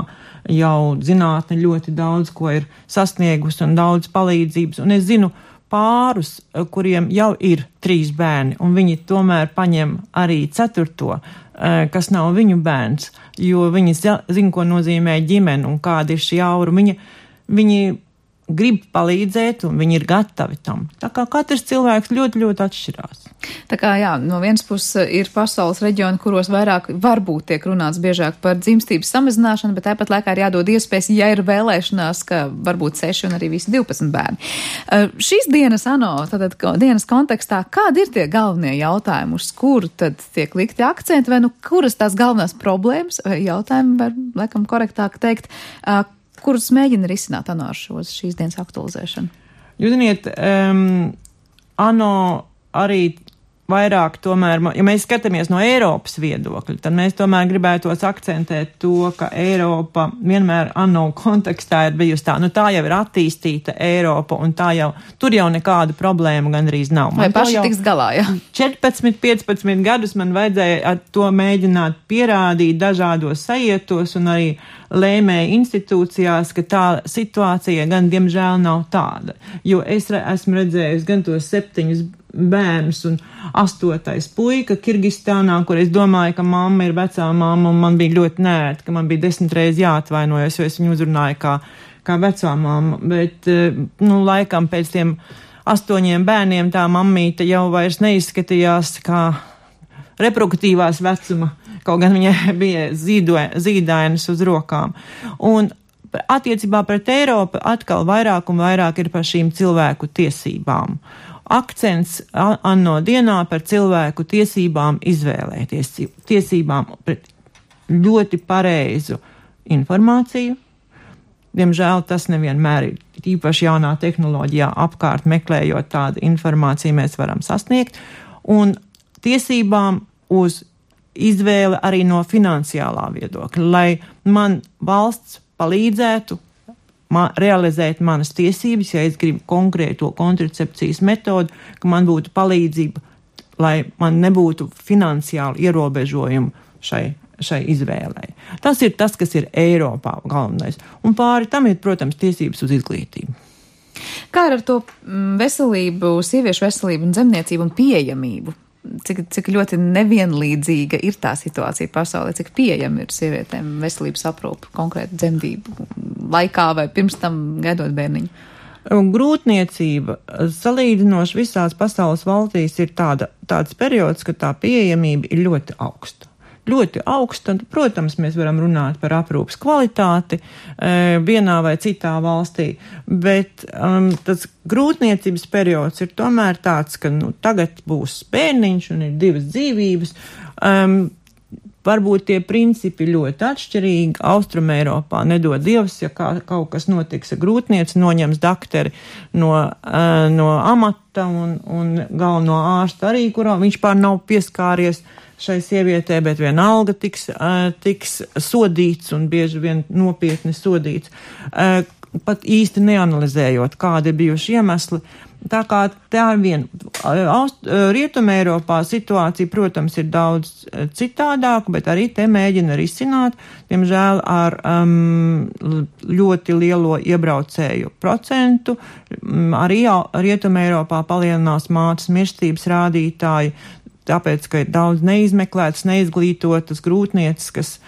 [SPEAKER 5] jau zinātne ļoti daudz ko ir sasniegusi un daudz palīdzības. Un es zinu pārus, kuriem jau ir 3 bērni, un viņi tomēr paņem arī 4, kas nav viņu bērns, jo viņi zina, ko nozīmē ģimene un kāda ir šī aura. Viņi grib palīdzēt, un viņi ir gatavi tam. Tā kā katrs cilvēks ļoti, ļoti atšķirās.
[SPEAKER 2] Tā kā, jā, no vienas puses ir pasaules reģioni, kuros vairāk varbūt tiek runāts biežāk par dzimstības samazināšanu, bet tāpat laikā ir jādod iespējas, ja ir vēlēšanās, ka varbūt 6 un arī visi 12 bērni. Šīs dienas ANO, tātad dienas kontekstā, kādi ir tie galvenie jautājumi, uz kuru tad tiek likti akcenti, vai nu kuras tās galvenās problēmas vai jautājumi, var laikam korektāk teikt, kurus mēģina risināt ANO ar šīs dienas aktualizēšanu? Jūs
[SPEAKER 5] ziniet, ANO arī vairāk tomēr, ja mēs skatāmies no Eiropas viedokļa, tad mēs tomēr gribētos akcentēt to, ka Eiropa vienmēr ANO kontekstā ir bijusi tā, tā jau ir attīstīta Eiropa, un tur jau nekāda problēma gandrīz nav.
[SPEAKER 2] Vai paši tiks galā, jā?
[SPEAKER 5] 14-15 gadus man vajadzēja ar to mēģināt pierādīt dažādos sajietos un arī lēmēju institūcijās, ka tā situācija gan diemžēl nav tāda. Jo es esmu redzējis gan tos 7 bērnus un 8. puika Kirgistānā, kur es domāju, ka mamma ir vecā mamma, un man bija ļoti nērti, ka man bija 10 reizes jāatvainojas, jo es viņu uzrunāju kā vecā mamma. Bet, laikam pēc tiem 8 bērniem tā mammīte jau vairs neizskatījās kā reproduktīvās vecuma, kaut gan viņai bija zīdainas uz rokām. Un attiecībā pret Eiropu atkal vairāk un vairāk ir par šīm cilvēku tiesībām. Akcents ANO dienā par cilvēku tiesībām izvēlēties, tiesībām pret ļoti pareizu informāciju. Diemžēl tas nevienmēr ir, īpaši jaunā tehnoloģijā apkārt meklējot tādu informāciju mēs varam sasniegt, un tiesībām uz izvēle arī no finansiālā viedokļa, lai man valsts palīdzētu realizēt manas tiesības, ja es gribu konkrēto kontracepcijas metodu, ka man būtu palīdzība, lai man nebūtu finansiāli ierobežojumi šai izvēlei. Tas ir tas, kas ir Eiropā galvenais. Un pāri tam ir, protams, tiesības uz izglītību.
[SPEAKER 2] Kā ar to veselību, sieviešu veselību un dzemniecību un pieejamību? Cik ļoti nevienlīdzīga ir tā situācija pasaulē, cik pieejama ir sievietēm veselības aprūpe konkrēti dzemdību laikā vai pirms tam gaidot bērniņu?
[SPEAKER 5] Grūtniecība salīdzinoši visās pasaules valstīs ir tāds periods, ka tā pieejamība ir ļoti augsta. Ļoti augsta, protams, mēs varam runāt par aprūpas kvalitāti vienā vai citā valstī, bet tas grūtniecības periods ir tomēr tāds, ka tagad būs bērniņš un ir 2 dzīvības. Varbūt tie principi ļoti atšķirīgi. Austrumeiropā nedod Dievs, ja kaut kas notiks ar grūtnieci, noņems dakteri no amata un galveno ārstu arī, kurā viņš pār nav pieskāries šai sievietē, bet vienalga tiks sodīts un bieži vien nopietni sodīts, pat īsti neanalizējot, kādi ir bijuši iemesli. Tā kā tā ir viena. Rietumeiropā situācija, protams, ir daudz citādāka, bet arī te mēģina risināt, diemžēl ar ļoti lielo iebraucēju procentu. Arī Rietumeiropā palielinās mātes mirstības rādītāji, tāpēc, ka ir daudz neizmeklētas, neizglītotas grūtnieces,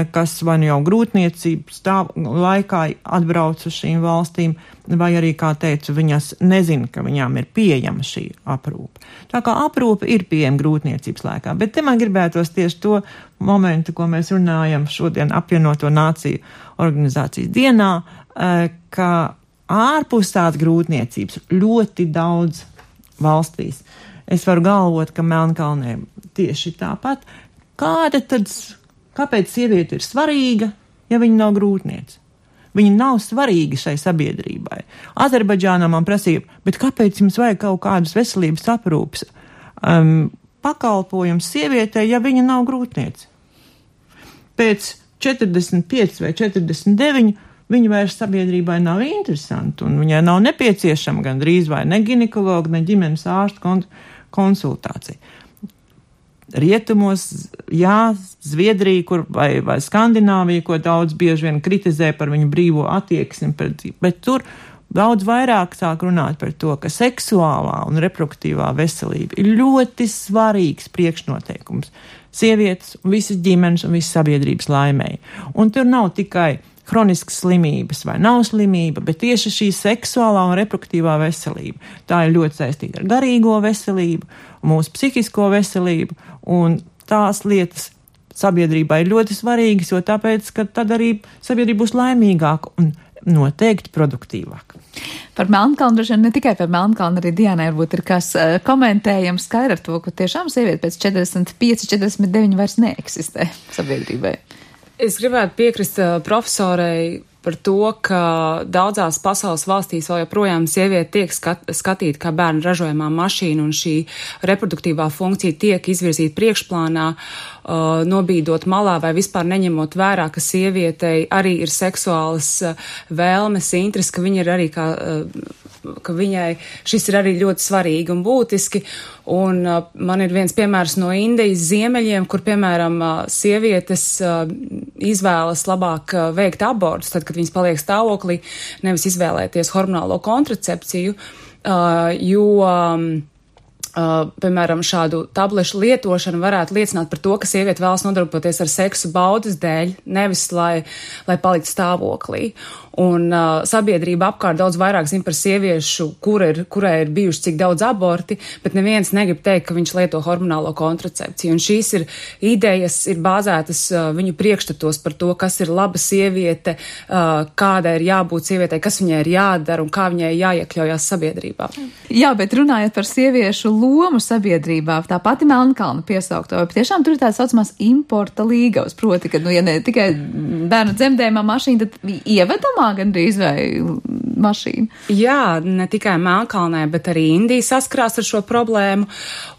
[SPEAKER 5] kas vai jau grūtniecības laikā atbrauc uz šīm valstīm, vai arī, kā teicu, viņas nezina, ka viņām ir pieejama šī aprūpe. Tā kā aprūpe ir pieejama grūtniecības laikā, bet te man gribētos tieši to momentu, ko mēs runājam šodien apvienoto nāciju organizācijas dienā, ka ārpus tās grūtniecības ļoti daudz valstīs. Es varu galvot, ka Melnkalnē tieši tāpat. Kāpēc sieviete ir svarīga, ja viņa nav grūtniece? Viņa nav svarīga šai sabiedrībai. Azerbaidžānā man prasīja, bet kāpēc jums vajag kaut kādus veselības aprūpes pakalpojums sievietei, ja viņa nav grūtniece? Pēc 45 vai 49 viņa vairs sabiedrībai nav interesanti, un viņai nav nepieciešama gan drīz vai ne ginekologa, ne ģimenes ārsta konsultācija. Rietumos, jā, Zviedrija vai Skandināvija, ko daudz bieži vien kritizē par viņu brīvo attieksmi, bet tur daudz vairāk sāk runāt par to, ka seksuālā un reproduktīvā veselība ir ļoti svarīgs priekšnoteikums sievietes, visas ģimenes un visas sabiedrības laimēji. Un tur nav tikai hroniskas slimības vai nav slimība, bet tieši šī seksuālā un reproduktīvā veselība. Tā ir ļoti saistīta ar garīgo veselību, mūsu psihisko veselību, un tās lietas sabiedrībā ir ļoti svarīgas, jo tāpēc, ka tad arī sabiedrība būs laimīgāka un noteikti produktīvāka.
[SPEAKER 2] Par Melnkalnu, ne tikai par Melnkalnu, arī Dianai varbūt ir kas komentējams skaidri ar to, ka tiešām sieviete pēc 45-49 vairs neeksistē sabiedrībai.
[SPEAKER 6] Es gribētu piekrist profesorei par to, ka daudzās pasaules valstīs vēl joprojām sieviete tiek skatīta kā bērnu ražojamā mašīna, un šī reproduktīvā funkcija tiek izvirzīta priekšplānā, nobīdot malā vai vispār neņemot vērā, ka sievietei arī ir seksuālas vēlmes, interesi, ka viņa ir arī ka viņai šis ir arī ļoti svarīgi un būtiski. Un man ir viens piemērs no Indijas ziemeļiem, kur, piemēram, sievietes izvēlas labāk veikt abortus, tad, kad viņas paliek stāvoklī, nevis izvēlēties hormonālo kontracepciju, jo piemēram, šādu tablešu lietošana varētu liecināt par to, ka sieviete vēlas nodarboties ar seksu baudas dēļ, nevis lai paliktu stāvoklī. Un sabiedrība apkārt daudz vairāk zina par sieviešu, kurai ir bijuši cik daudz aborti, bet neviens negrib teikt, ka viņš lieto hormonālo kontracepciju. Un šīs idejas ir bāzētas viņu priekšstatos par to, kas ir laba sieviete, kāda ir jābūt sievietei, kas viņai ir jādara un kā viņai jāiekļaujās sabiedrībā.
[SPEAKER 2] Jā, bet runājot par sieviešu lomu sabiedrībā, tā pati Melnkalna piesaukto, tiešām tur ir tāds saucamās importa līgavas, proti, ka, ja ne tikai bērnu dzemdējumā mašīna, tad ievedamā gandrīz vai mašīna. Jā,
[SPEAKER 6] ne tikai Melnkalnē, bet arī Indija saskarās ar šo problēmu.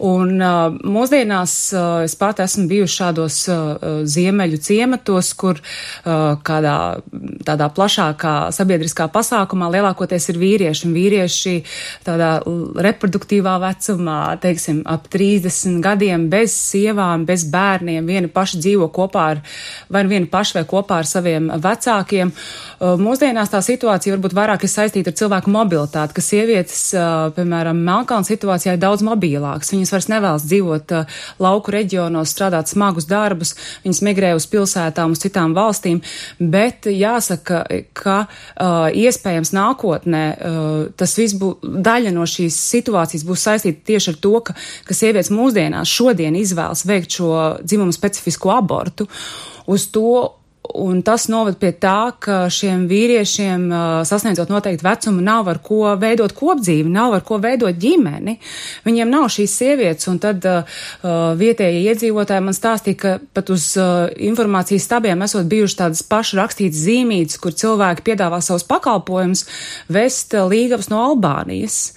[SPEAKER 6] Un mūsdienās es pat esmu bijuši šādos ziemeļu ciematos, kur kādā tādā plašākā sabiedriskā pasākumā lielākoties ir vīrieši. Un vīrieši tādā reproduktīvā vecumā, teiksim, ap 30 gadiem, bez sievām, bez bērniem, vieni paši dzīvo kopā vai kopā ar saviem vecākiem. Mūsdienās tā situācija varbūt vairāk ir ir saistīta ar cilvēku mobilitāti, ka sievietes, piemēram, Melnkalnes situācijā ir daudz mobilākas. Viņas vairs nevēlas dzīvot lauku reģionos, strādāt smagus darbus, viņas migrē uz pilsētām, uz citām valstīm, bet jāsaka, ka iespējams nākotnē tas viss daļa no šīs situācijas būs saistīta tieši ar to, ka sievietes mūsdienās šodien izvēlas veikt šo dzimumu specifisko abortu uz to, un tas novad pie tā, ka šiem vīriešiem, sasniedzot noteikti vecumu, nav ar ko veidot kopdzīvi, nav ar ko veidot ģimeni. Viņiem nav šīs sievietes, un tad vietējie iedzīvotāji man stāstīja, ka pat uz informācijas stabiem esot bijuši tādas paši rakstītas zīmītes, kur cilvēki piedāvā savus pakalpojumus vest līgavas no Albānijas.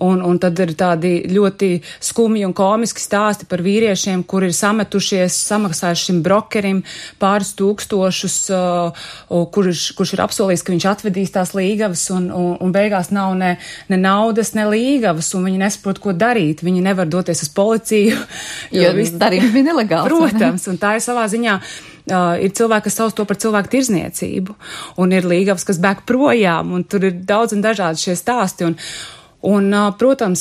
[SPEAKER 6] Un tad ir tādi ļoti skumji un komiski stāsti par vīriešiem, kuri ir sametušies, samaksājuši šim brokerim pāris tūkstošus, kurš ir apsolījis, ka viņš atvedīs tās līgavas, un beigās nav ne naudas, ne līgavas, un viņi nesaprot, ko darīt. Viņi nevar doties uz policiju.
[SPEAKER 2] Jo darījums bija nelegāls.
[SPEAKER 6] Protams, un tā ir savā ziņā. Ir cilvēki, kas sauc to par cilvēku tirzniecību, un ir līgavas, kas bēg projām, un tur ir daudz un dažādi šie stāsti. Un, protams,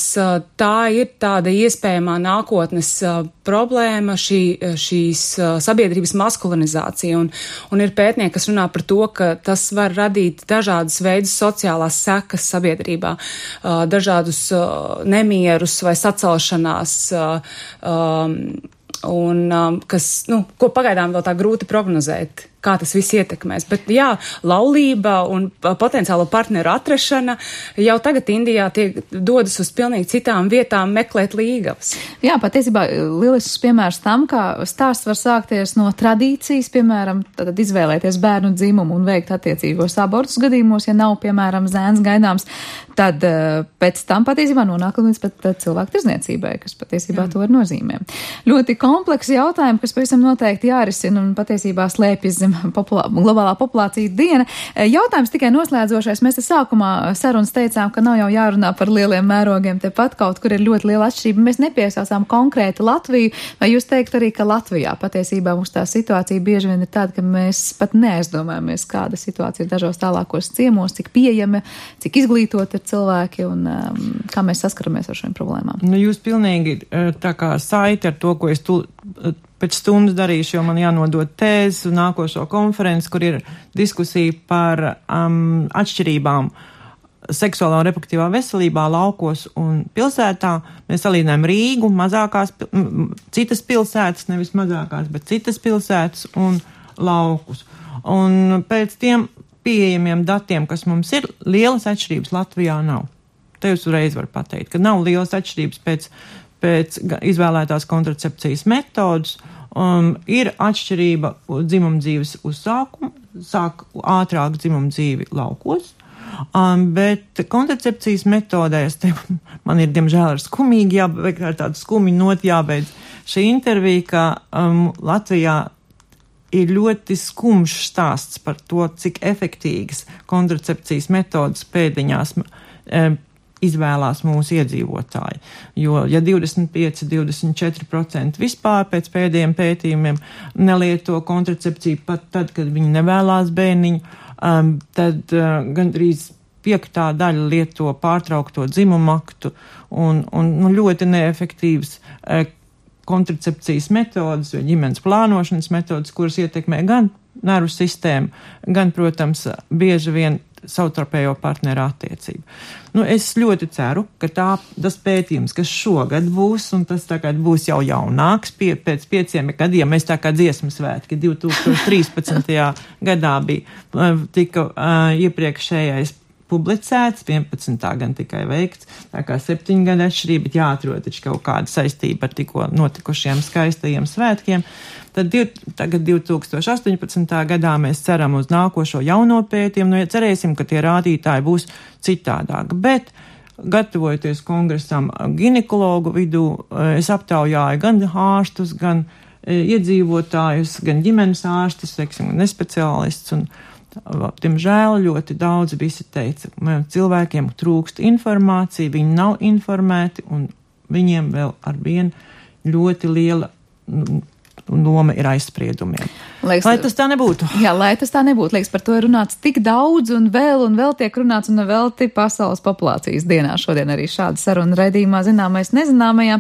[SPEAKER 6] tā ir tāda iespējamā nākotnes problēma, šīs sabiedrības maskulinizācija. Un ir pētnieki, kas runā par to, ka tas var radīt dažādas veidus sociālās sekas sabiedrībā, dažādus nemierus vai sacelšanās, kas, ko pagaidām vēl tā grūti prognozēt, kā tas viss ietekmēs. Bet jā, laulība un potenciālo partneru atrašana jau tagad Indijā dodas uz pilnīgi citām vietām meklēt līgavas.
[SPEAKER 2] Jā, patiesībā lielisks piemērs tam, kā stāsts var sākties no tradīcijas, piemēram, tad izvēlēties bērnu dzimumu un veikt attiecīgos abortus gadījumos, ja nav, piemēram, zēns gaidāms, tad pēc tam patiesībā nonāk līdz pat cilvēku tirzniecībai, kas patiesībā to var nozīmē. Ļoti kompleksi jautājumi, kas pavisam noteikti jārisina un patiesībā slēpjas zem globālā populācija diena. Jautājums tikai noslēdzošais. Mēs te sākumā sarunas teicām, ka nav jau jārunā par lieliem mērogiem. Tepat kaut kur ir ļoti liela atšķirība. Mēs nepiesaucām konkrēti Latviju. Vai jūs teikt arī, ka Latvijā patiesībā mums tā situācija bieži vien ir tāda, ka mēs pat neaizdomājamies, kāda situācija ir dažos tālākos ciemos, cik pieejami, cik izglītoti ir cilvēki un kā mēs saskaramies ar šiem problēmām?
[SPEAKER 5] Jūs pilnīgi tā kā saiti ar to, ko es pēc stundas darīšu, jo man jānodod tēzes un nākošo konferenci, kur ir diskusija par atšķirībām seksuālā un reproduktīvā veselībā laukos un pilsētā. Mēs salīdzinājām Rīgu, citas pilsētas, nevis mazākās, bet citas pilsētas un laukus. Un pēc tiem pieejamiem datiem, kas mums ir, lielas atšķirības Latvijā nav. Te jūs uzreiz var pateikt, ka nav lielas atšķirības pēc izvēlētās kontracepcijas metodas. Ir atšķirība dzimumdzīves uzsākumu, sāk ātrāk dzimumdzīvi laukos, bet kontracepcijas metodēs, man ir diemžēl ar skumīgi ar tādu skumiņu noti jābeidz šī intervija, ka Latvijā ir ļoti skumjš stāsts par to, cik efektīgas kontracepcijas metodas pēdiņās izvēlās mūsu iedzīvotāji. Jo, ja 25-24% vispār pēc pēdējiem pētījumiem nelieto kontracepciju pat tad, kad viņi nevēlās bērniņu, tad gandrīz 5. daļa lieto pārtraukto dzimumu aktu un ļoti neefektīvas kontracepcijas metodas vai ģimenes plānošanas metodas, kuras ietekmē gan nervu sistēmu, gan, protams, bieži vien savtarpējo partneru attiecību. Es ļoti ceru, ka tas pētījums, kas šogad būs, un tas tagad būs jau jaunāks, pēc 5 gadiem, mēs tā kā dziesmu svētki 2013. gadā tika iepriekšējais publicēts, 11. gan tikai veikts, tā kā 7 gadu atšķirība, bet jāatrod taču kaut kāda saistība ar tikko notikušiem skaistajiem svētkiem. Tad tagad 2018. gadā mēs ceram uz nākošo jauno pētījumu, cerēsim, ka tie rādītāji būs citādāki, bet gatavojoties kongresam ginekologu vidū, es aptaujāju gan ārstus, gan iedzīvotājus, gan ģimenes ārstus, nespeciālistus, un diemžēl ļoti daudz visi teica, cilvēkiem trūkst informācija, viņi nav informēti, un viņiem vēl ar vienu ļoti liela loma ir aizspriedumiem.
[SPEAKER 2] Liekas,
[SPEAKER 5] lai tas tā nebūtu.
[SPEAKER 2] Jā, lai tas tā nebūtu. Liekas, par to ir runāts tik daudz un vēl tiek runāts un vēl pasaules populācijas dienā. Šodien arī šāda saruna raidījumā Zināmais nezināmajā.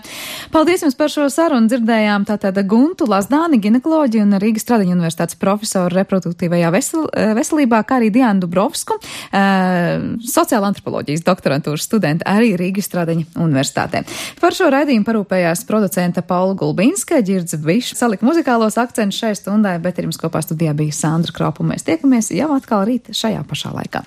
[SPEAKER 2] Paldies jums par šo sarunu. Dzirdējām tātad Guntu Lazdāni, ginekoloģiju un Rīgas Stradiņu universitātes profesoru reproduktīvajā veselībā, kā arī Diānu Dubrovsku, sociāla antropoloģijas doktorantūras studenti arī Rīgas Stradiņu universitātē. Par šo raidījumu parūpējās producenta Paula Gulbinska, Ģirds Bišs, salika muzikālos akcentus šai stundai, bet ar jums kopā studijā bija Sandra Kropa. Mēs tiekamies jau atkal rīt šajā pašā laikā.